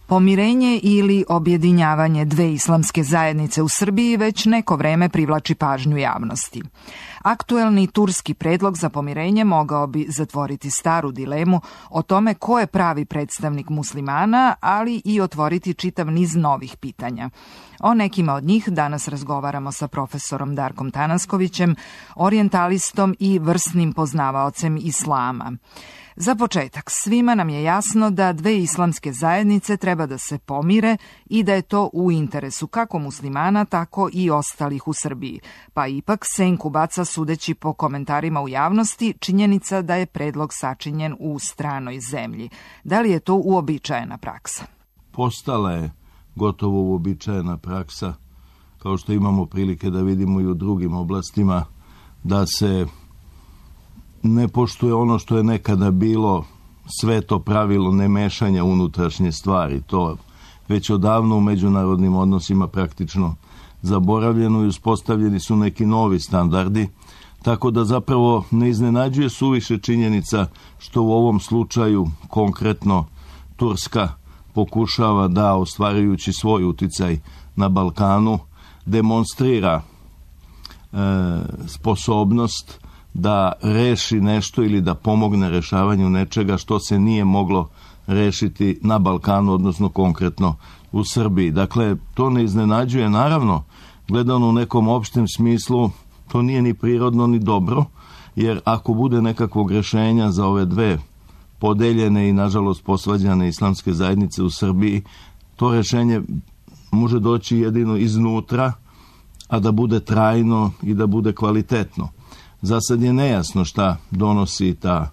Pomirenje ili objedinjavanje dve islamske zajednice u Srbiji već neko vreme privlači pažnju javnosti. Aktuelni turski predlog za pomirenje mogao bi zatvoriti staru dilemu o tome ko je pravi predstavnik muslimana, ali i otvoriti čitav niz novih pitanja. O nekima od njih danas razgovaramo sa profesorom Darkom Tanaskovićem, orijentalistom i vrsnim poznavaocem islama. Za početak, svima nam je jasno da dve islamske zajednice treba da se pomire i da je to u interesu kako muslimana, tako i ostalih u Srbiji. Pa ipak senku baca, sudeći po komentarima u javnosti, činjenica da je predlog sačinjen u stranoj zemlji. Da li je to uobičajena praksa? Postala je gotovo uobičajena praksa, kao što imamo prilike da vidimo i u drugim oblastima, da se ne poštuje ono što je nekada bilo sveto pravilo nemešanja unutrašnje stvari. To već odavno u međunarodnim odnosima praktično zaboravljeno i uspostavljeni su neki novi standardi, tako da zapravo ne iznenađuje suviše činjenica što u ovom slučaju konkretno Turska pokušava da, ostvarujući svoj uticaj na Balkanu, demonstrira sposobnost da reši nešto ili da pomogne rešavanju nečega što se nije moglo rešiti na Balkanu, odnosno konkretno u Srbiji. Dakle, to ne iznenađuje, naravno, gledano u nekom opštem smislu, to nije ni prirodno ni dobro, jer ako bude nekakvog rešenja za ove dve podeljene i nažalost posvađane islamske zajednice u Srbiji, to rešenje može doći jedino iznutra, a da bude trajno i da bude kvalitetno. Za sad je nejasno šta donosi ta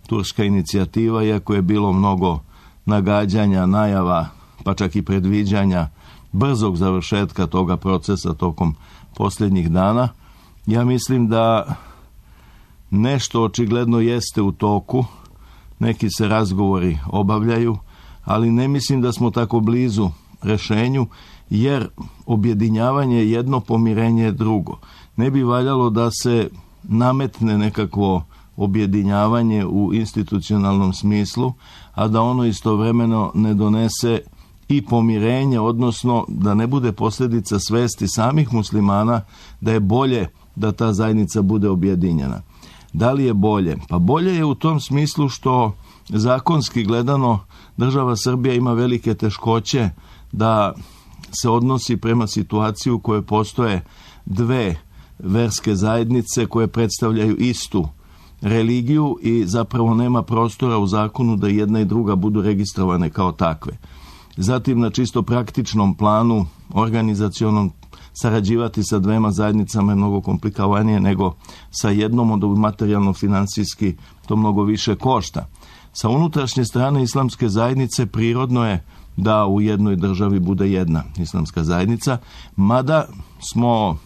turska inicijativa, iako je bilo mnogo nagađanja, najava, pa čak i predviđanja brzog završetka toga procesa tokom posljednjih dana. Ja mislim da nešto očigledno jeste u toku, neki se razgovori obavljaju, ali ne mislim da smo tako blizu rešenju, jer objedinjavanje je jedno, pomirenje je drugo. Ne bi valjalo da se nametne nekakvo objedinjavanje u institucionalnom smislu, a da ono istovremeno ne donese i pomirenje, odnosno da ne bude posljedica svesti samih muslimana da je bolje da ta zajednica bude objedinjena. Da li je bolje? Pa bolje je u tom smislu što zakonski gledano država Srbija ima velike teškoće da se odnosi prema situaciji u kojoj postoje dve verske zajednice koje predstavljaju istu religiju i zapravo nema prostora u zakonu da jedna i druga budu registrovane kao takve. Zatim na čisto praktičnom planu, organizacionom, sarađivati sa dvema zajednicama je mnogo komplikovanije nego sa jednom, od materijalno-finansijski to mnogo više košta. Sa unutrašnje strane islamske zajednice prirodno je da u jednoj državi bude jedna islamska zajednica, mada smo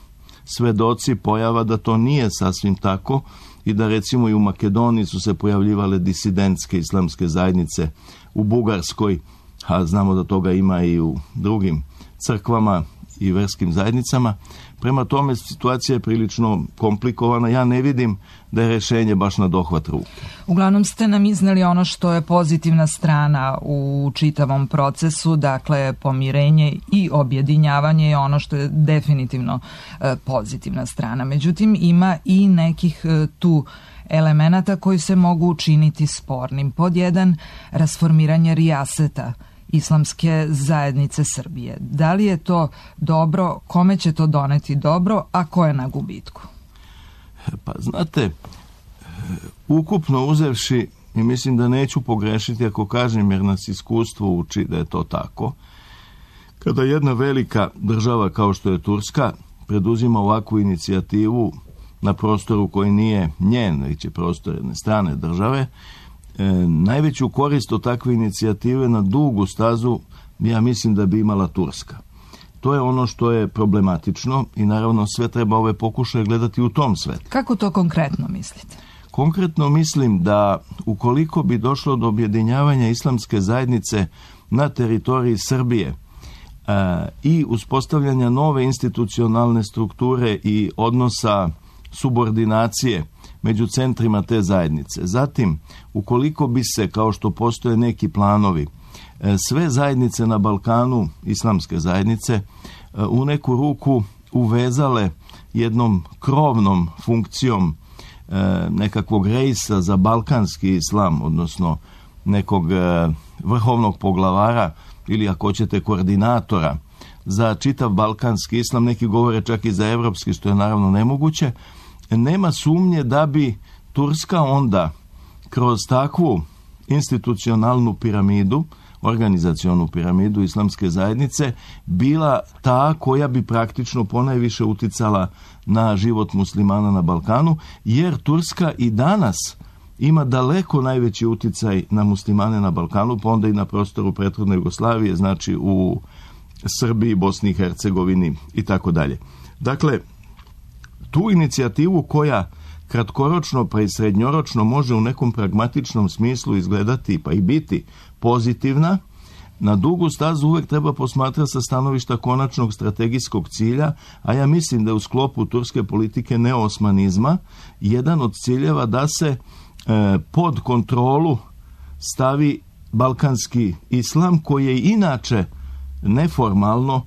svedoci pojava da to nije sasvim tako i da recimo i u Makedoniji su se pojavljivale disidentske islamske zajednice, u Bugarskoj, a znamo da toga ima i u drugim crkvama i verskim zajednicama. Prema tome situacija je prilično komplikovana. Ja ne vidim da je rešenje baš na dohvat ruke. Uglavnom ste nam izneli ono što je pozitivna strana u čitavom procesu, dakle pomirenje i objedinjavanje je ono što je definitivno pozitivna strana. Međutim, ima i nekih tu elemenata koji se mogu učiniti spornim. Pod jedan, rasformiranje rijaseta islamske zajednice Srbije. Da li je to dobro, kome će to doneti dobro, a ko je na gubitku? Pa znate, ukupno uzevši, i mislim da neću pogrešiti ako kažem, jer nas iskustvo uči da je to tako, kada jedna velika država kao što je Turska preduzima ovakvu inicijativu na prostoru koji nije njen, već je prostor jedne strane države, najveću korist od takve inicijative na dugu stazu ja mislim da bi imala Turska. To je ono što je problematično i naravno sve treba ove pokušaje gledati u tom svetu. Kako to konkretno mislite? Konkretno mislim da ukoliko bi došlo do objedinjavanja islamske zajednice na teritoriji Srbije i uspostavljanja nove institucionalne strukture i odnosa subordinacije među centrima te zajednice. Zatim, ukoliko bi se, kao što postoje neki planovi, sve zajednice na Balkanu, islamske zajednice, u neku ruku uvezale jednom krovnom funkcijom nekakvog rejsa za balkanski islam, odnosno nekog vrhovnog poglavara ili ako hoćete koordinatora za čitav balkanski islam, neki govore čak i za evropski, što je naravno nemoguće, nema sumnje da bi Turska onda kroz takvu institucionalnu piramidu, organizacionu piramidu islamske zajednice, bila ta koja bi praktično ponajviše uticala na život muslimana na Balkanu, jer Turska i danas ima daleko najveći uticaj na muslimane na Balkanu, pa onda i na prostoru prethodne Jugoslavije, znači u Srbiji, Bosni i Hercegovini i tako dalje. Dakle, tu inicijativu koja kratkoročno pa i srednjoročno može u nekom pragmatičnom smislu izgledati pa i biti pozitivna, na dugu stazu uvek treba posmatrati sa stanovišta konačnog strategijskog cilja, a ja mislim da je u sklopu turske politike neoosmanizma jedan od ciljeva da se pod kontrolu stavi balkanski islam, koji je inače neformalno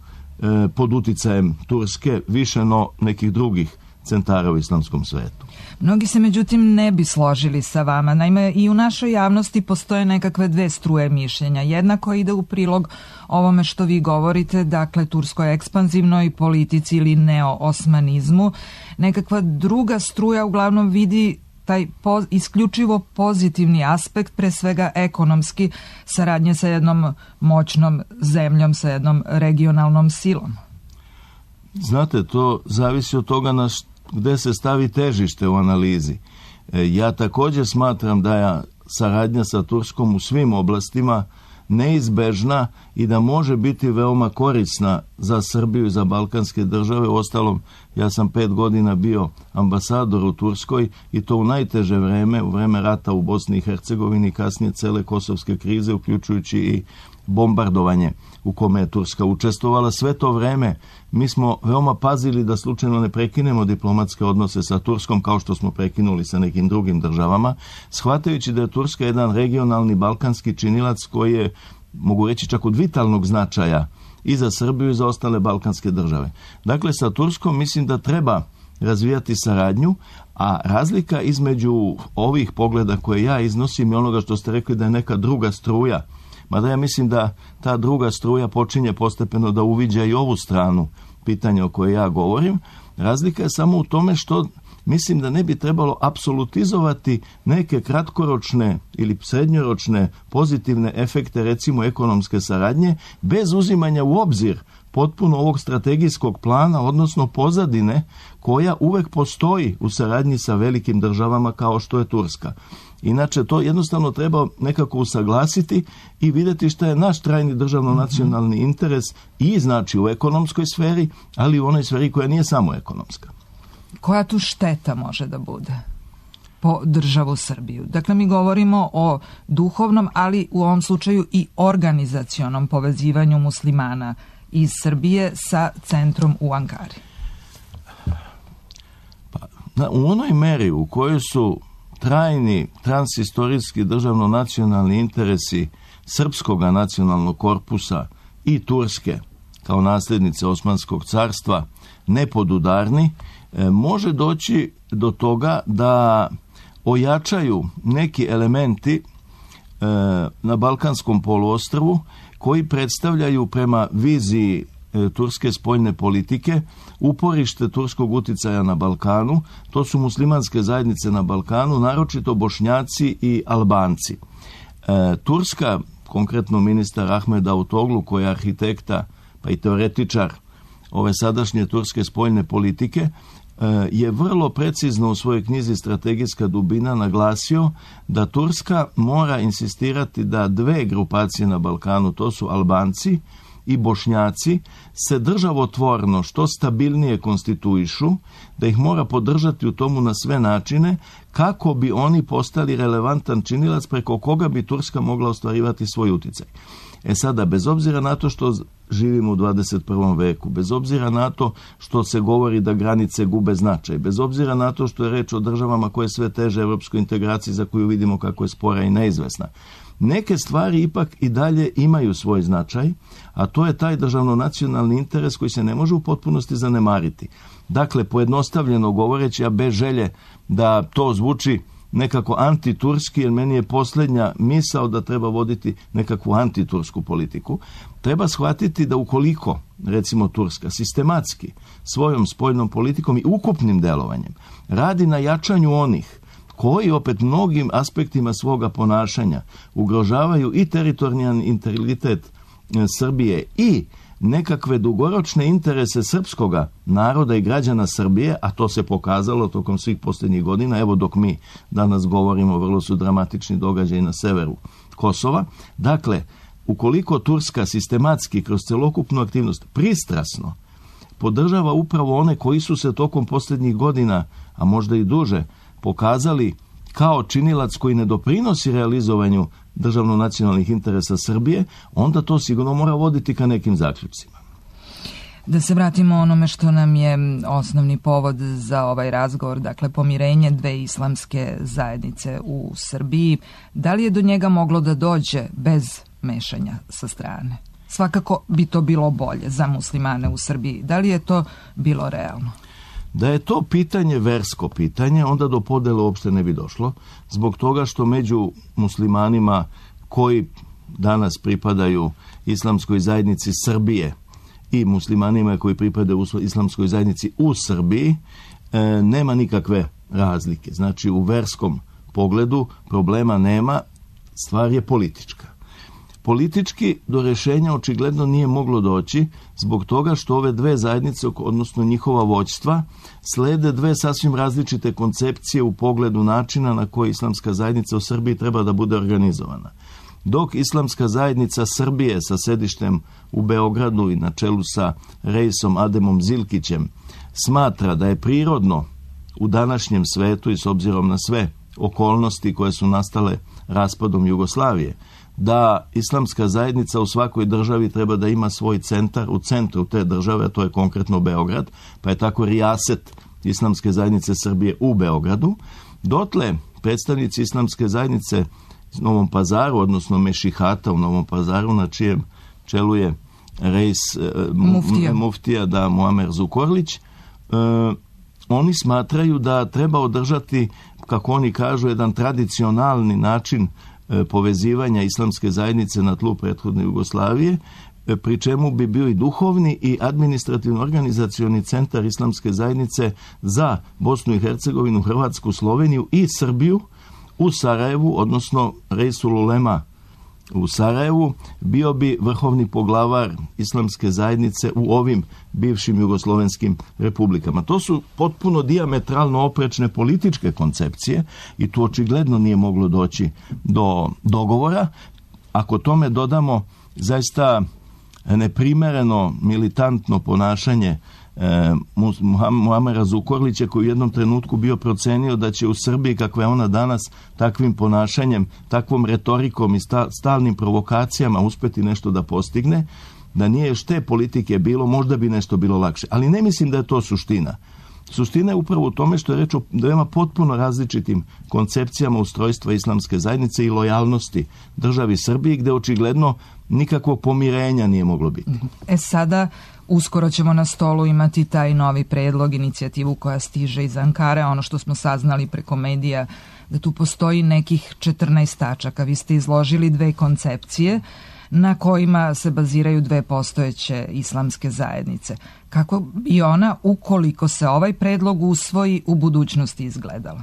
pod uticajem Turske više no nekih drugih centara u islamskom svetu. Mnogi se međutim ne bi složili sa vama. Naime, i u našoj javnosti postoje nekakve dve struje mišljenja. Jedna koja ide u prilog ovome što vi govorite, dakle turskoj ekspanzivnoj politici ili neoosmanizmu. Nekakva druga struja uglavnom vidi taj isključivo pozitivni aspekt, pre svega ekonomski, saradnje sa jednom moćnom zemljom, sa jednom regionalnom silom. Znate, to zavisi od toga gde se stavi težište u analizi. Ja također smatram da je saradnja sa Turskom u svim oblastima neizbežna i da može biti veoma korisna za Srbiju i za balkanske države. Uostalom, ja sam 5 godina bio ambasador u Turskoj i to u najteže vreme, u vreme rata u Bosni i Hercegovini, kasnije cele kosovske krize, uključujući i bombardovanje u kome je Turska učestvovala. Sve to vreme mi smo veoma pazili da slučajno ne prekinemo diplomatske odnose sa Turskom, kao što smo prekinuli sa nekim drugim državama, shvatajući da je Turska jedan regionalni balkanski činilac koji je, mogu reći, čak od vitalnog značaja i za Srbiju i za ostale balkanske države. Dakle, sa Turskom mislim da treba razvijati saradnju, a razlika između ovih pogleda koje ja iznosim i onoga što ste rekli da je neka druga struja, mada ja mislim da ta druga struja počinje postepeno da uviđa i ovu stranu pitanja o kojoj ja govorim. Razlika je samo u tome što mislim da ne bi trebalo apsolutizovati neke kratkoročne ili srednjoročne pozitivne efekte, recimo ekonomske saradnje, bez uzimanja u obzir potpuno ovog strategijskog plana, odnosno pozadine koja uvek postoji u saradnji sa velikim državama kao što je Turska. Inače, to jednostavno treba nekako usaglasiti i vidjeti šta je naš trajni državno-nacionalni interes i znači u ekonomskoj sferi, ali i u onoj sferi koja nije samo ekonomska. Koja tu šteta može da bude po državu Srbiju? Dakle, mi govorimo o duhovnom, ali u ovom slučaju i organizacionom povezivanju muslimana iz Srbije sa centrom u Ankari. U onoj meri u kojoj su trajni transhistorijski državno-nacionalni interesi srpskog nacionalnog korpusa i Turske kao nasljednice Osmanskog carstva nepodudarni, može doći do toga da ojačaju neki elementi na Balkanskom poluostrvu koji predstavljaju prema viziji turske spoljne politike uporište turskog uticaja na Balkanu. To su muslimanske zajednice na Balkanu, naročito Bošnjaci i Albanci. Turska, konkretno ministar Ahmed Davutoglu, koji je arhitekta pa i teoretičar ove sadašnje turske spoljne politike, je vrlo precizno u svojoj knjizi Strategijska dubina naglasio da Turska mora insistirati da dve grupacije na Balkanu, to su Albanci i Bošnjaci, se državotvorno što stabilnije konstituišu, da ih mora podržati u tomu na sve načine kako bi oni postali relevantan činilac preko koga bi Turska mogla ostvarivati svoj uticaj. Sada, bez obzira na to što živimo u 21. veku, bez obzira na to što se govori da granice gube značaj, bez obzira na to što je reč o državama koje sve teže evropskoj integraciji za koju vidimo kako je spora i neizvesna, neke stvari ipak i dalje imaju svoj značaj, a to je taj državno-nacionalni interes koji se ne može u potpunosti zanemariti. Dakle, pojednostavljeno govoreći, a bez želje da to zvuči nekako antiturski, jer meni je posljednja misao da treba voditi nekakvu antitursku politiku, treba shvatiti da ukoliko, recimo Turska, sistematski svojom spoljnom politikom i ukupnim delovanjem radi na jačanju onih koji opet mnogim aspektima svoga ponašanja ugrožavaju i teritorijalni integritet Srbije i nekakve dugoročne interese srpskoga naroda i građana Srbije, a to se pokazalo tokom svih posljednjih godina, evo dok mi danas govorimo, vrlo su dramatični događaji na severu Kosova. Dakle, ukoliko Turska sistematski kroz celokupnu aktivnost pristrasno podržava upravo one koji su se tokom posljednjih godina, a možda i duže, pokazali kao činilac koji ne doprinosi realizovanju državno-nacionalnih interesa Srbije, onda to sigurno mora voditi ka nekim zaključcima. Da se vratimo onome što nam je osnovni povod za ovaj razgovor, dakle pomirenje dve islamske zajednice u Srbiji. Da li je do njega moglo da dođe bez mešanja sa strane? Svakako bi to bilo bolje za muslimane u Srbiji. Da li je to bilo realno? Da je to pitanje versko pitanje, onda do podele uopšte ne bi došlo, zbog toga što među muslimanima koji danas pripadaju islamskoj zajednici Srbije i muslimanima koji pripadaju islamskoj zajednici u Srbiji nema nikakve razlike. Znači, u verskom pogledu problema nema, stvar je politička. Politički do rješenja očigledno nije moglo doći zbog toga što ove dve zajednice, odnosno njihova vođstva, slede dve sasvim različite koncepcije u pogledu načina na koji islamska zajednica u Srbiji treba da bude organizovana. Dok islamska zajednica Srbije sa sedištem u Beogradu i na čelu sa Reisom Ademom Zilkićem smatra da je prirodno u današnjem svetu i s obzirom na sve okolnosti koje su nastale raspadom Jugoslavije, da islamska zajednica u svakoj državi treba da ima svoj centar u centru te države, a to je konkretno Beograd, pa je tako rijaset islamske zajednice Srbije u Beogradu. Dotle predstavnici islamske zajednice u Novom Pazaru, odnosno Mešihata u Novom Pazaru, na čijem čelu je reis muftija da Muamer Zukorlić, oni smatraju da treba održati, kako oni kažu, jedan tradicionalni način povezivanja islamske zajednice na tlu prethodne Jugoslavije, pri čemu bi bio i duhovni i administrativno-organizacioni centar islamske zajednice za Bosnu i Hercegovinu, Hrvatsku, Sloveniju i Srbiju u Sarajevu, odnosno Reisul Ulema u Sarajevu, bio bi vrhovni poglavar islamske zajednice u ovim bivšim jugoslovenskim republikama. To su potpuno dijametralno oprečne političke koncepcije i tu očigledno nije moglo doći do dogovora. Ako tome dodamo zaista neprimereno militantno ponašanje Muamera Zukorlića, koji u jednom trenutku bio procenio da će u Srbiji, kakva je ona danas, takvim ponašanjem, takvom retorikom i stalnim provokacijama uspeti nešto da postigne, da nije još te politike bilo, možda bi nešto bilo lakše. Ali ne mislim da je to suština. Suština je upravo u tome što je reč o dvema potpuno različitim koncepcijama ustrojstva islamske zajednice i lojalnosti državi Srbiji, gde očigledno nikakvog pomirenja nije moglo biti. Sada uskoro ćemo na stolu imati taj novi predlog, inicijativu koja stiže iz Ankare, ono što smo saznali preko medija, da tu postoji nekih 14 tačaka. Vi ste izložili dve koncepcije na kojima se baziraju dve postojeće islamske zajednice. Kako bi ona, ukoliko se ovaj predlog usvoji, u budućnosti izgledala?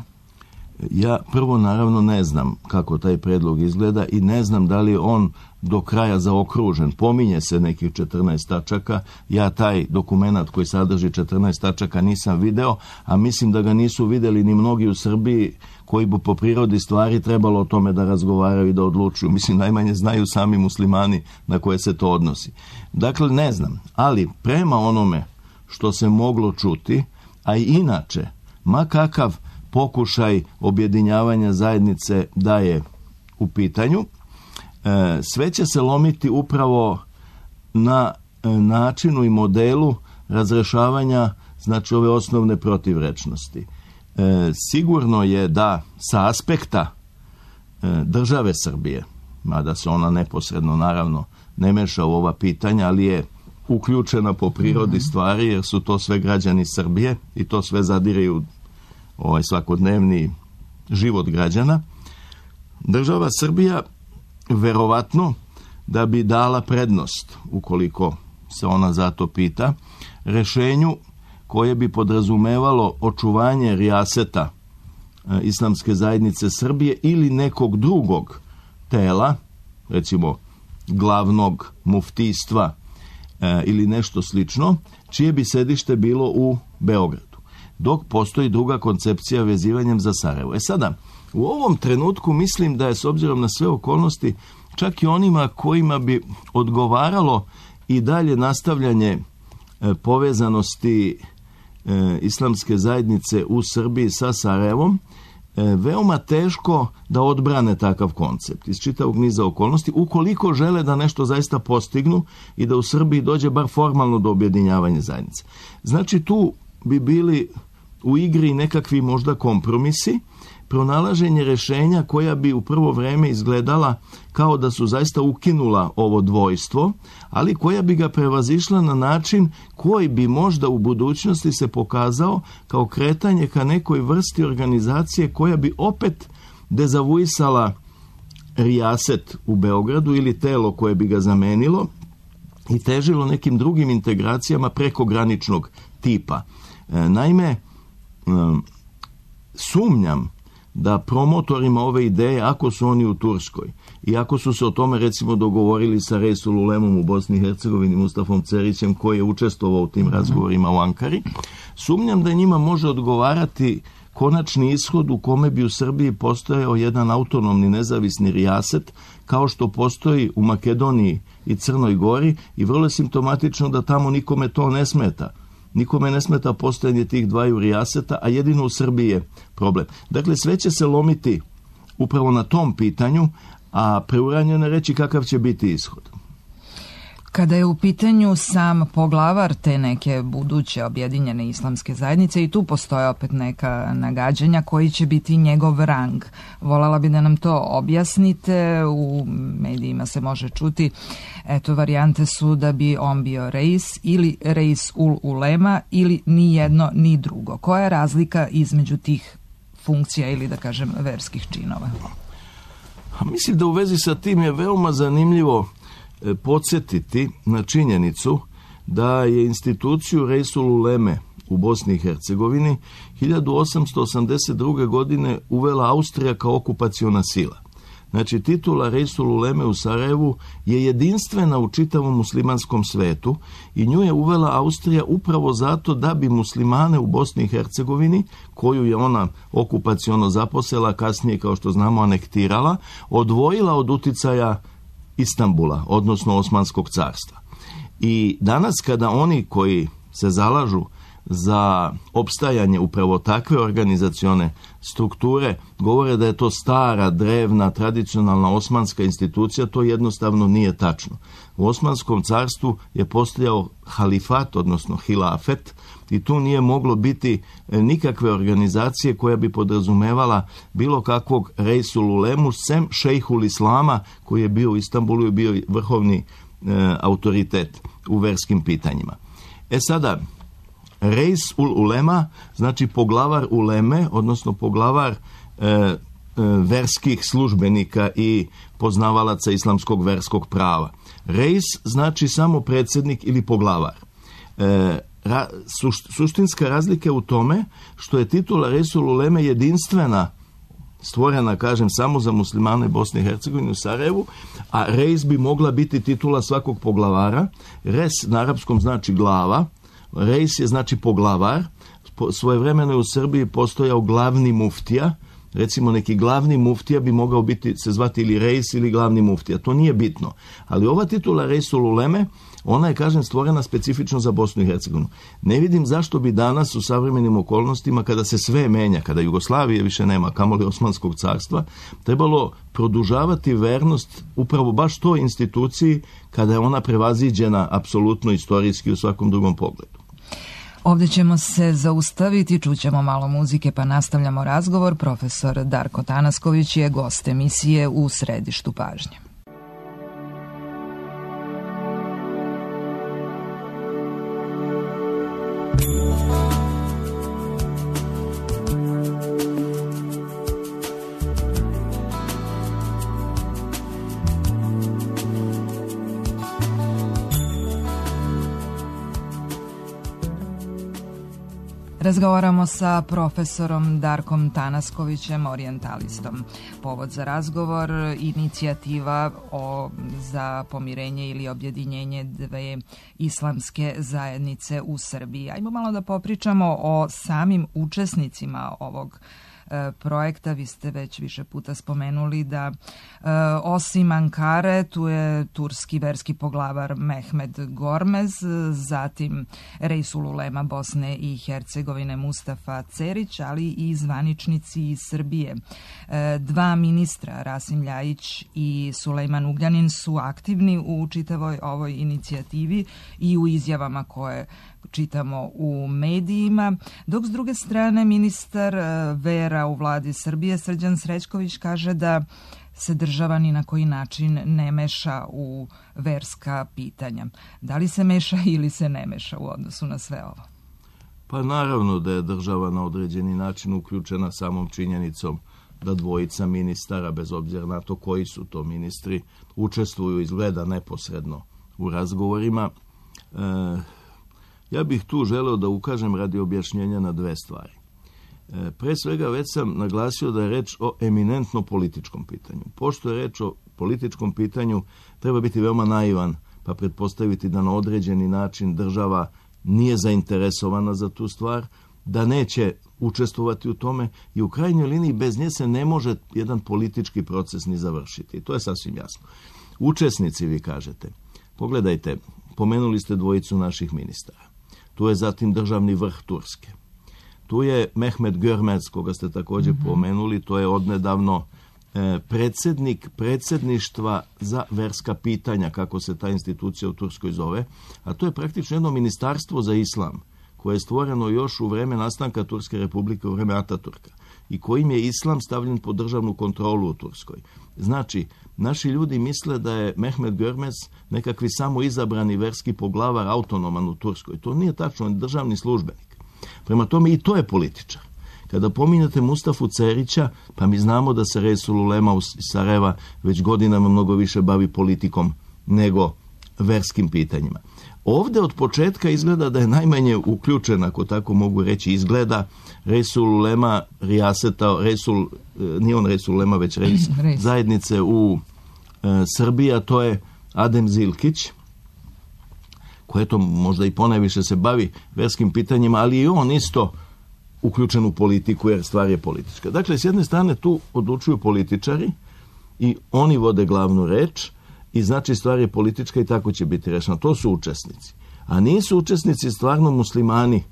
Ja prvo naravno ne znam kako taj predlog izgleda i ne znam da li je on do kraja zaokružen. Pominje se nekih 14 tačaka. Ja taj dokumenat koji sadrži 14 tačaka nisam video, a mislim da ga nisu videli ni mnogi u Srbiji koji bi po prirodi stvari trebalo o tome da razgovaraju i da odlučuju. Mislim, najmanje znaju sami muslimani na koje se to odnosi. Dakle, ne znam, ali prema onome što se moglo čuti, a i inače, ma kakav pokušaj objedinjavanja zajednice da je u pitanju, sve će se lomiti upravo na načinu i modelu razrešavanja, znači, ove osnovne protivrečnosti. Sigurno je da sa aspekta države Srbije mada se ona neposredno naravno ne meša u ova pitanja, ali je uključena po prirodi stvari, jer su to sve građani Srbije i to sve zadire u svakodnevni život građana. Država Srbija verovatno da bi dala prednost, ukoliko se ona zato pita, rešenju koje bi podrazumevalo očuvanje rijaseta Islamske zajednice Srbije ili nekog drugog tela, recimo glavnog muftijstva ili nešto slično, čije bi sedište bilo u Beogradu, dok postoji druga koncepcija vezivanjem za Sarajevo. Sada, u ovom trenutku mislim da je, s obzirom na sve okolnosti, čak i onima kojima bi odgovaralo i dalje nastavljanje povezanosti Islamske zajednice u Srbiji sa Sarajevom, veoma teško da odbrane takav koncept iz čitavog niza okolnosti, ukoliko žele da nešto zaista postignu i da u Srbiji dođe bar formalno do objedinjavanja zajednice. Znači, tu bi bili u igri nekakvi možda kompromisi, pronalaženje rešenja koja bi u prvo vreme izgledala kao da su zaista ukinula ovo dvojstvo, ali koja bi ga prevazišla na način koji bi možda u budućnosti se pokazao kao kretanje ka nekoj vrsti organizacije koja bi opet dezavuisala rijaset u Beogradu ili telo koje bi ga zamenilo i težilo nekim drugim integracijama prekograničnog tipa. Naime, sumnjam da promotorima ove ideje, ako su oni u Turskoj i ako su se o tome recimo dogovorili sa Reisul Ulemom u Bosni i Hercegovini, Mustafom Cerićem, koji je učestvovao u tim razgovorima u Ankari, sumnjam da njima može odgovarati konačni ishod u kome bi u Srbiji postojao jedan autonomni nezavisni rijaset, kao što postoji u Makedoniji i Crnoj Gori, i vrlo je simptomatično da tamo nikome to ne smeta. Nikome ne smeta postojanje tih dvaju rijaseta, a jedino u Srbiji je problem. Dakle, sve će se lomiti upravo na tom pitanju, a preuranjeno je reći kakav će biti ishod. Kada je u pitanju sam poglavar te neke buduće objedinjene islamske zajednice, i tu postoje opet neka nagađanja koji će biti njegov rang. Voljela bi da nam to objasnite. U medijima se može čuti, eto, varijante su da bi on bio reis ili reis ul ulema ili ni jedno ni drugo. Koja je razlika između tih funkcija ili, da kažem, verskih činova? Mislim da u vezi sa tim je veoma zanimljivo podsjetiti na činjenicu da je instituciju Reisul Uleme u Bosni i Hercegovini 1882. godine uvela Austrija kao okupaciona sila. Znači, titula Reisul Uleme u Sarajevu je jedinstvena u čitavom muslimanskom svetu i nju je uvela Austrija upravo zato da bi muslimane u Bosni i Hercegovini, koju je ona okupaciono zaposela, kasnije, kao što znamo, anektirala, odvojila od uticaja Istanbula, odnosno Osmanskog carstva. I danas kada oni koji se zalažu za opstajanje upravo takve organizacione strukture govore da je to stara, drevna, tradicionalna osmanska institucija, to jednostavno nije tačno. U Osmanskom carstvu je postojao halifat, odnosno hilafet, i tu nije moglo biti nikakve organizacije koja bi podrazumevala bilo kakvog Reisul Ulemu, sem šejhul Islama, koji je bio u Istanbulu i bio vrhovni autoritet u verskim pitanjima. Sada, Reis ul Ulema znači poglavar uleme, odnosno poglavar verskih službenika i poznavalaca islamskog verskog prava. Reis znači samo predsjednik ili poglavar. Suštinska razlika je u tome što je titula Reisul Uleme jedinstvena, stvorena, kažem, samo za muslimane Bosne i Hercegovine u Sarajevu, a reis bi mogla biti titula svakog poglavara. Res na arapskom znači glava, reis je znači poglavar. Svojevremeno je u Srbiji postojao glavni muftija. Recimo, neki glavni muftija bi mogao biti, se zvati ili reis ili glavni muftija. To nije bitno. Ali ova titula Reisul Uleme, ona je, kažem, stvorena specifično za Bosnu i Hercegovinu. Ne vidim zašto bi danas u savremenim okolnostima, kada se sve menja, kada Jugoslavije više nema, kamoli Osmanskog carstva, trebalo produžavati vernost upravo baš toj instituciji kada je ona prevaziđena apsolutno istorijski u svakom drugom pogledu. Ovdje ćemo se zaustaviti, čućemo malo muzike pa nastavljamo razgovor. Profesor Darko Tanasković je gost emisije U središtu pažnje. Razgovaramo sa profesorom Darkom Tanaskovićem, orijentalistom. Povod za razgovor, inicijativa za pomirenje ili objedinjenje dve islamske zajednice u Srbiji. Ajmo malo da popričamo o samim učesnicima ovog projekta. Vi ste već više puta spomenuli da osim Ankare tu je turski verski poglavar Mehmed Gormez, zatim Reisul Ulema Bosne i Hercegovine Mustafa Cerić, ali i zvaničnici iz Srbije. Dva ministra, Rasim Ljajić i Sulejman Ugljanin, su aktivni u čitavoj ovoj inicijativi i u izjavama koje čitamo u medijima, dok s druge strane ministar vera u vladi Srbije Srđan Srećković kaže da se država ni na koji način ne meša u verska pitanja. Da li se meša ili se ne meša u odnosu na sve ovo? Pa naravno da je država na određeni način uključena samom činjenicom da dvojica ministara, bez obzira na to koji su to ministri, učestvuju izgleda neposredno u razgovorima. Ja bih tu želeo da ukažem radi objašnjenja na dve stvari. Pre svega već sam naglasio da je reč o eminentno političkom pitanju. Pošto je reč o političkom pitanju, treba biti veoma naivan, pa pretpostaviti da na određeni način država nije zainteresovana za tu stvar, da neće učestvovati u tome i u krajnjoj liniji bez nje se ne može jedan politički proces ni završiti. To je sasvim jasno. Učesnici, vi kažete, pogledajte, pomenuli ste dvojicu naših ministara. Tu je zatim državni vrh Turske. Tu je Mehmed Görmez, koga ste također pomenuli, to je odnedavno predsjednik predsjedništva za verska pitanja, kako se ta institucija u Turskoj zove, a to je praktično jedno ministarstvo za islam, koje je stvoreno još u vreme nastanka Turske republike, u vreme Ataturka, i kojim je islam stavljen pod državnu kontrolu u Turskoj. Znači, naši ljudi misle da je Mehmed Görmez nekakvi samo izabrani verski poglavar autonoman u Turskoj. To nije tačno, on je državni službenik. Prema tome i to je političar. Kada pominjate Mustafu Cerića, pa mi znamo da se Reisul Ulema iz Sarajeva već godinama mnogo više bavi politikom nego verskim pitanjima. Ovdje od početka izgleda da je najmanje uključen, ako tako mogu reći, izgleda Reisul Ulema Rijaseta, nije on Reisul Ulema, već zajednice u Srbiji, a to je Adem Zilkić, koji to možda i ponajviše se bavi verskim pitanjima, ali i on isto uključen u politiku, jer stvar je politička. Dakle, s jedne strane tu odlučuju političari i oni vode glavnu reč i znači stvar je politička i tako će biti rešena. To su učesnici. A nisu učesnici stvarno muslimani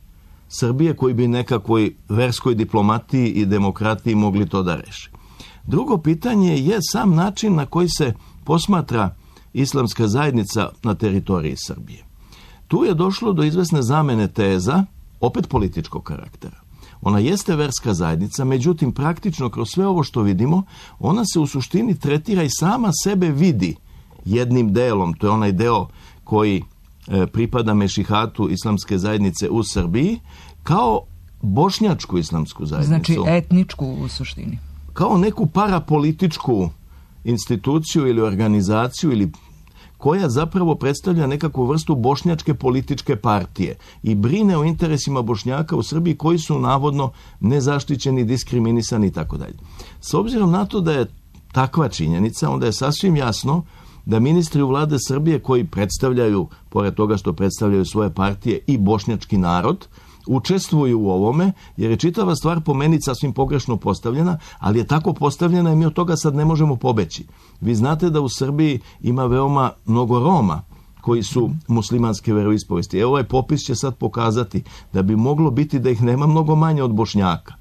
Srbije koji bi nekakvoj verskoj diplomatiji i demokratiji mogli to da reši. Drugo pitanje je sam način na koji se posmatra islamska zajednica na teritoriji Srbije. Tu je došlo do izvesne zamene teza, opet političkog karaktera. Ona jeste verska zajednica, međutim praktično kroz sve ovo što vidimo, ona se u suštini tretira i sama sebe vidi jednim delom. To je onaj deo koji pripada mešihatu islamske zajednice u Srbiji, kao bošnjačku islamsku zajednicu. Znači etničku u suštini. Kao neku parapolitičku instituciju ili organizaciju ili koja zapravo predstavlja nekakvu vrstu bošnjačke političke partije i brine o interesima Bošnjaka u Srbiji koji su navodno nezaštićeni, diskriminisani i tako dalje. S obzirom na to da je takva činjenica, onda je sasvim jasno da ministri u vlade Srbije koji predstavljaju, pored toga što predstavljaju svoje partije, i bošnjački narod, učestvuju u ovome, jer je čitava stvar po meni sasvim pogrešno postavljena, ali je tako postavljena i mi od toga sad ne možemo pobeći. Vi znate da u Srbiji ima veoma mnogo Roma koji su muslimanske veroispovesti. Evo ovaj popis će sad pokazati da bi moglo biti da ih nema mnogo manje od Bošnjaka.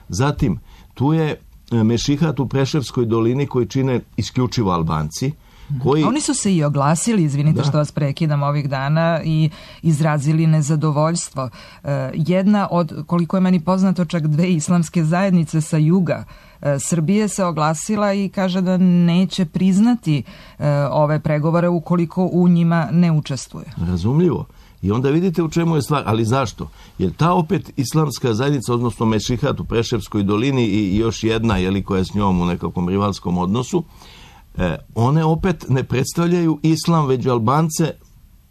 Zatim, tu je mešihat u Preševskoj dolini koji čine isključivo Albanci, Oni su se i oglasili, izvinite što vas prekidam, ovih dana i izrazili nezadovoljstvo. Jedna od, koliko je meni poznato, čak dve islamske zajednice sa juga Srbije se oglasila i kaže da neće priznati ove pregovore ukoliko u njima ne učestvuje. Razumljivo. I onda vidite u čemu je stvar. Ali zašto? Jer ta opet islamska zajednica, odnosno mešihat u Preševskoj dolini i još jedna, koja je s njom u nekakvom rivalskom odnosu, one opet ne predstavljaju islam, već Albance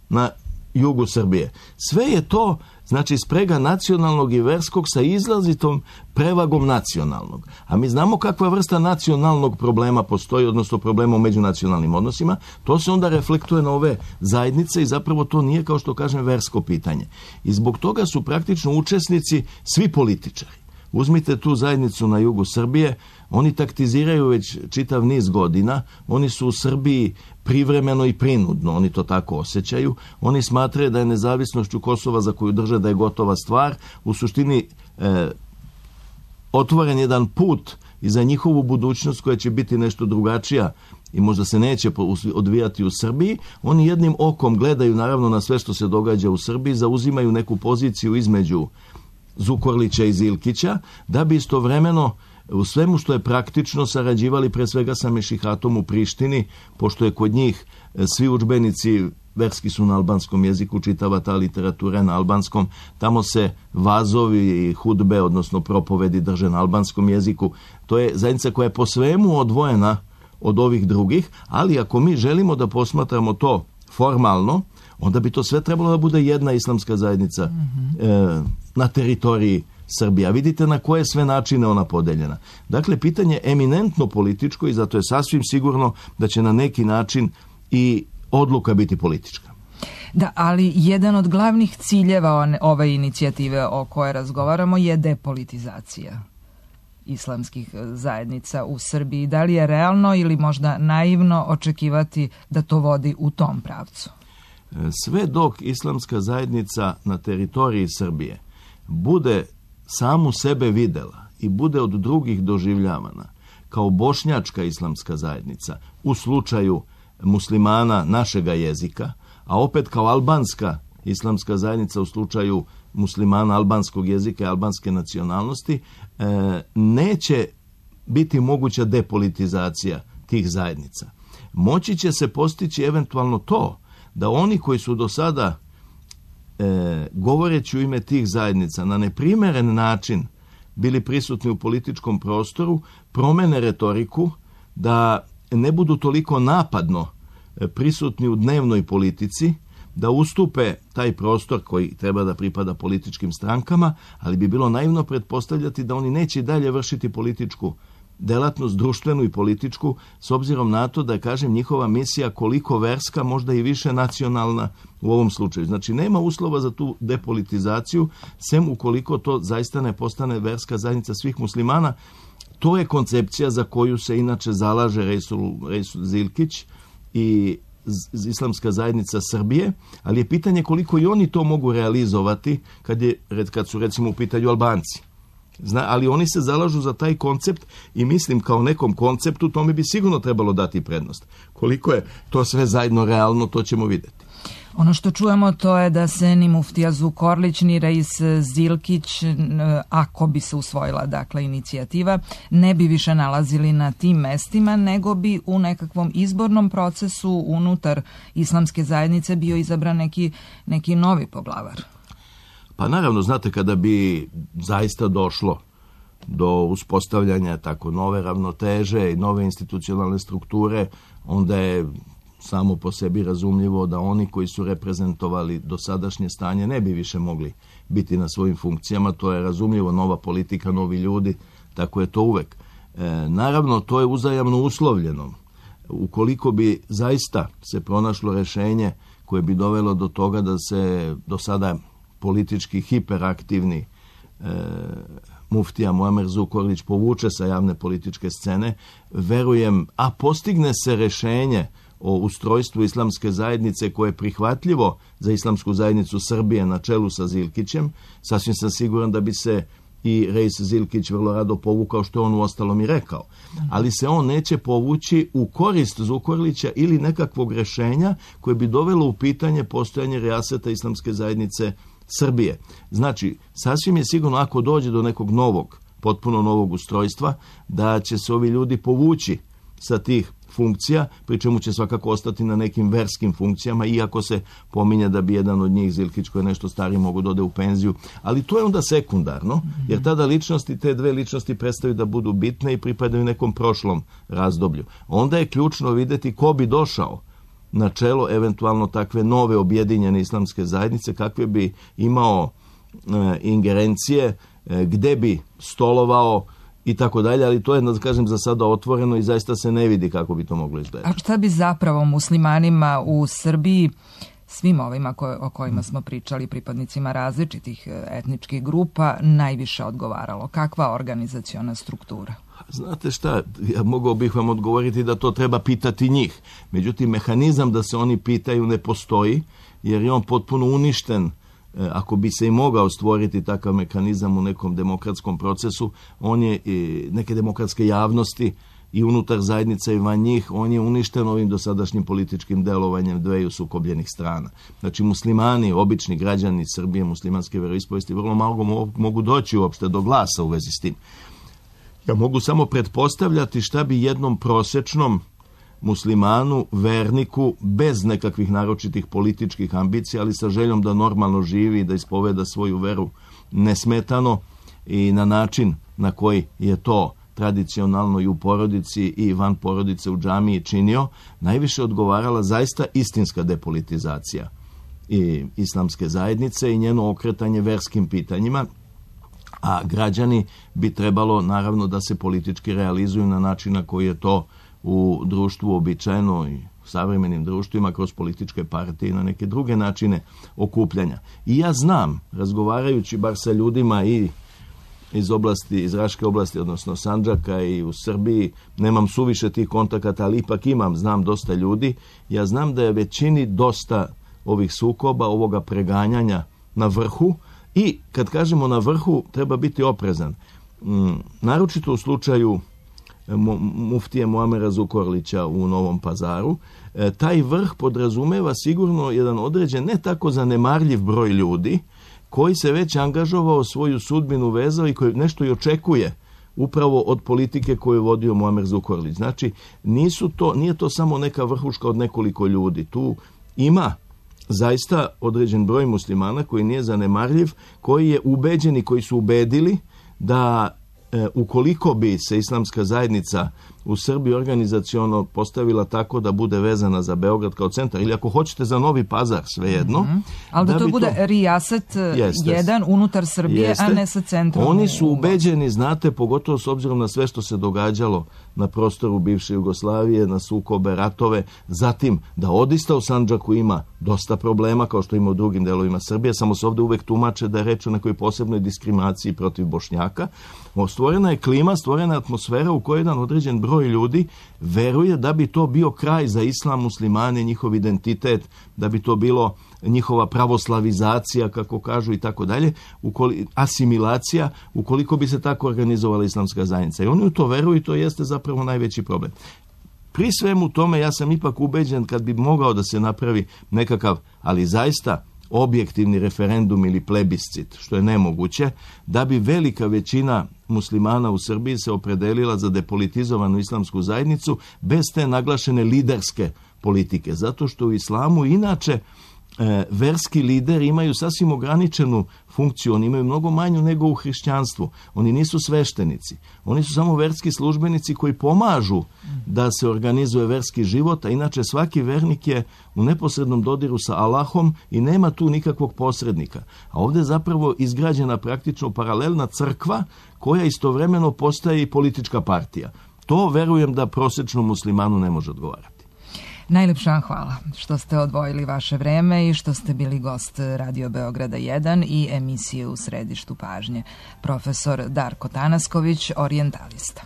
na jugu Srbije. Sve je to, znači, sprega nacionalnog i verskog sa izlazitom prevagom nacionalnog. A mi znamo kakva vrsta nacionalnog problema postoji, odnosno problema u međunacionalnim odnosima. To se onda reflektuje na ove zajednice i zapravo to nije, kao što kažem, versko pitanje. I zbog toga su praktično učesnici svi političari. Uzmite tu zajednicu na jugu Srbije, oni taktiziraju već čitav niz godina, oni su u Srbiji privremeno i prinudno, oni to tako osjećaju, oni smatraju da je nezavisnošću Kosova, za koju drže da je gotova stvar, u suštini otvoren jedan put i za njihovu budućnost koja će biti nešto drugačija i možda se neće odvijati u Srbiji. Oni jednim okom gledaju naravno na sve što se događa u Srbiji, zauzimaju neku poziciju između Zukorlića i Zilkića, da bi istovremeno u svemu što je praktično sarađivali pre svega sa Mešihatom u Prištini, pošto je kod njih svi udžbenici verski su na albanskom jeziku, čitava ta literatura na albanskom, tamo se vazovi i hudbe, odnosno propovedi drže na albanskom jeziku. To je zajednica koja je po svemu odvojena od ovih drugih, ali ako mi želimo da posmatramo to formalno, onda bi to sve trebalo da bude jedna islamska zajednica na teritoriji Srbije. A vidite na koje sve načine ona podeljena. Dakle, pitanje je eminentno političko i zato je sasvim sigurno da će na neki način i odluka biti politička. Da, ali jedan od glavnih ciljeva ove inicijative o kojoj razgovaramo je depolitizacija islamskih zajednica u Srbiji. Da li je realno ili možda naivno očekivati da to vodi u tom pravcu? Sve dok islamska zajednica na teritoriji Srbije bude samu sebe videla i bude od drugih doživljavana kao bošnjačka islamska zajednica u slučaju muslimana našega jezika, a opet kao albanska islamska zajednica u slučaju muslimana albanskog jezika i albanske nacionalnosti, neće biti moguća depolitizacija tih zajednica. Moći će se postići eventualno to da oni koji su do sada govoreći u ime tih zajednica na neprimeren način bili prisutni u političkom prostoru, promene retoriku, da ne budu toliko napadno prisutni u dnevnoj politici, da ustupe taj prostor koji treba da pripada političkim strankama, ali bi bilo naivno pretpostavljati da oni neće dalje vršiti političku delatnost, društvenu i političku, s obzirom na to da je, kažem, njihova misija koliko verska, možda i više nacionalna u ovom slučaju. Znači, nema uslova za tu depolitizaciju, sem ukoliko to zaista ne postane verska zajednica svih muslimana. To je koncepcija za koju se inače zalaže Reisul Zilkić i islamska zajednica Srbije, ali je pitanje koliko i oni to mogu realizovati kad su recimo u pitanju Albanci. Ali oni se zalažu za taj koncept i mislim kao nekom konceptu tome bi sigurno trebalo dati prednost. Koliko je to sve zajedno realno, to ćemo vidjeti. Ono što čujemo to je da se ni muftija Zukorlić ni Reis Zilkić, ako bi se usvojila dakle inicijativa, ne bi više nalazili na tim mestima, nego bi u nekakvom izbornom procesu unutar islamske zajednice bio izabran neki novi poglavar. Pa naravno, znate, kada bi zaista došlo do uspostavljanja tako nove ravnoteže i nove institucionalne strukture, onda je samo po sebi razumljivo da oni koji su reprezentovali dosadašnje stanje ne bi više mogli biti na svojim funkcijama. To je razumljivo, nova politika, novi ljudi, tako je to uvek. Naravno, to je uzajamno uslovljeno. Ukoliko bi zaista se pronašlo rešenje koje bi dovelo do toga da se do sada politički hiperaktivni muftija Muamer Zukorlić povuče sa javne političke scene, verujem, a postigne se rešenje o ustrojstvu islamske zajednice koje je prihvatljivo za islamsku zajednicu Srbije na čelu sa Zilkićem, sasvim sam siguran da bi se i Reis Zilkić vrlo rado povukao, što je on uostalom i rekao. Ali se on neće povući u korist Zukorlića ili nekakvog rešenja koje bi dovelo u pitanje postojanje rijaseta islamske zajednice Srbije. Znači, sasvim je sigurno ako dođe do nekog novog, potpuno novog ustrojstva, da će se ovi ljudi povući sa tih funkcija, pri čemu će svakako ostati na nekim verskim funkcijama, iako se pominje da bi jedan od njih, Zilkić, koji je nešto stariji, mogu da ode u penziju. Ali to je onda sekundarno, jer tada ličnosti, te dve ličnosti prestaju da budu bitne i pripadaju nekom prošlom razdoblju. Onda je ključno vidjeti ko bi došao na čelo eventualno takve nove objedinjene islamske zajednice, kakve bi imao ingerencije, gde bi stolovao i tako dalje, ali to je, da kažem, za sada otvoreno i zaista se ne vidi kako bi to moglo izgledati. A šta bi zapravo muslimanima u Srbiji, svim ovima o kojima smo pričali, pripadnicima različitih etničkih grupa, najviše odgovaralo? Kakva organizaciona struktura? Znate šta, ja mogao bih vam odgovoriti da to treba pitati njih. Međutim, mehanizam da se oni pitaju ne postoji, jer je on potpuno uništen. Ako bi se i mogao stvoriti takav mehanizam u nekom demokratskom procesu, on je neke demokratske javnosti i unutar zajednica i van njih, on je uništen ovim dosadašnjim političkim delovanjem dveju sukobljenih strana. Znači, muslimani, obični građani Srbije, muslimanske veroispovesti, vrlo malo mogu doći uopšte do glasa u vezi s tim. Ja mogu samo pretpostavljati šta bi jednom prosečnom muslimanu, verniku, bez nekakvih naročitih političkih ambicija, ali sa željom da normalno živi i da ispoveda svoju veru nesmetano i na način na koji je to tradicionalno i u porodici i van porodice u džamiji činio, najviše odgovarala zaista istinska depolitizacija i islamske zajednice i njeno okretanje verskim pitanjima, a građani bi trebalo naravno da se politički realizuju na način na koji je to u društvu običajno i u savremenim društvima kroz političke partije i na neke druge načine okupljanja. I ja znam, razgovarajući bar sa ljudima i iz Raške oblasti, odnosno Sandžaka i u Srbiji, nemam suviše tih kontakata, ali ipak znam dosta ljudi. Ja znam da je većini dosta ovih sukoba, ovoga preganjanja na vrhu i kad kažemo na vrhu treba biti oprezan. Naročito u slučaju muftije Muamera Zukorlića u Novom Pazaru, taj vrh podrazumeva sigurno jedan određen, ne tako zanemarljiv broj ljudi koji se već angažovao, svoju sudbinu vezao i koji nešto i očekuje upravo od politike koju je vodio Muamer Zukorlić. Znači, nije to samo neka vrhuška od nekoliko ljudi. Tu ima zaista određen broj muslimana koji nije zanemarljiv, koji je ubeđen i koji su ubedili da ukoliko bi se islamska zajednica u Srbiji organizaciono postavila tako da bude vezana za Beograd kao centar, ili ako hoćete za Novi Pazar, svejedno. Ali da to bude rijaset jedan unutar Srbije, a ne sa centrom. Oni su ubeđeni, znate, pogotovo s obzirom na sve što se događalo na prostoru bivše Jugoslavije, na sukobe, ratove, zatim da odista u Sandžaku ima dosta problema, kao što ima u drugim delovima Srbije, samo se ovdje uvek tumače da je reč o nekoj posebnoj diskriminaciji protiv Bošnjaka. Stvorena je klima, stvorena je atmosfera u kojoj jedan određen broj ljudi veruje da bi to bio kraj za islam, muslimane, njihov identitet, da bi to bilo njihova pravoslavizacija, kako kažu, i tako dalje, asimilacija, ukoliko bi se tako organizovala islamska zajednica. I oni u to veruju i to jeste zapravo najveći problem. Pri svemu tome ja sam ipak ubeđen kad bi mogao da se napravi nekakav, ali zaista objektivni referendum ili plebiscit, što je nemoguće, da bi velika većina muslimana u Srbiji se opredelila za depolitizovanu islamsku zajednicu bez te naglašene liderske politike. Zato što u islamu inače verski lideri imaju sasvim ograničenu funkciju, oni imaju mnogo manju nego u hrišćanstvu. Oni nisu sveštenici, oni su samo verski službenici koji pomažu da se organizuje verski život, a inače svaki vernik je u neposrednom dodiru sa Allahom i nema tu nikakvog posrednika. A ovdje je zapravo izgrađena praktično paralelna crkva koja istovremeno postaje i politička partija. To verujem da prosječnom muslimanu ne može odgovarati. Najlepša vam hvala što ste odvojili vaše vreme i što ste bili gost Radio Beograda 1 i emisije U središtu pažnje. Profesor Darko Tanasković, orijentalista.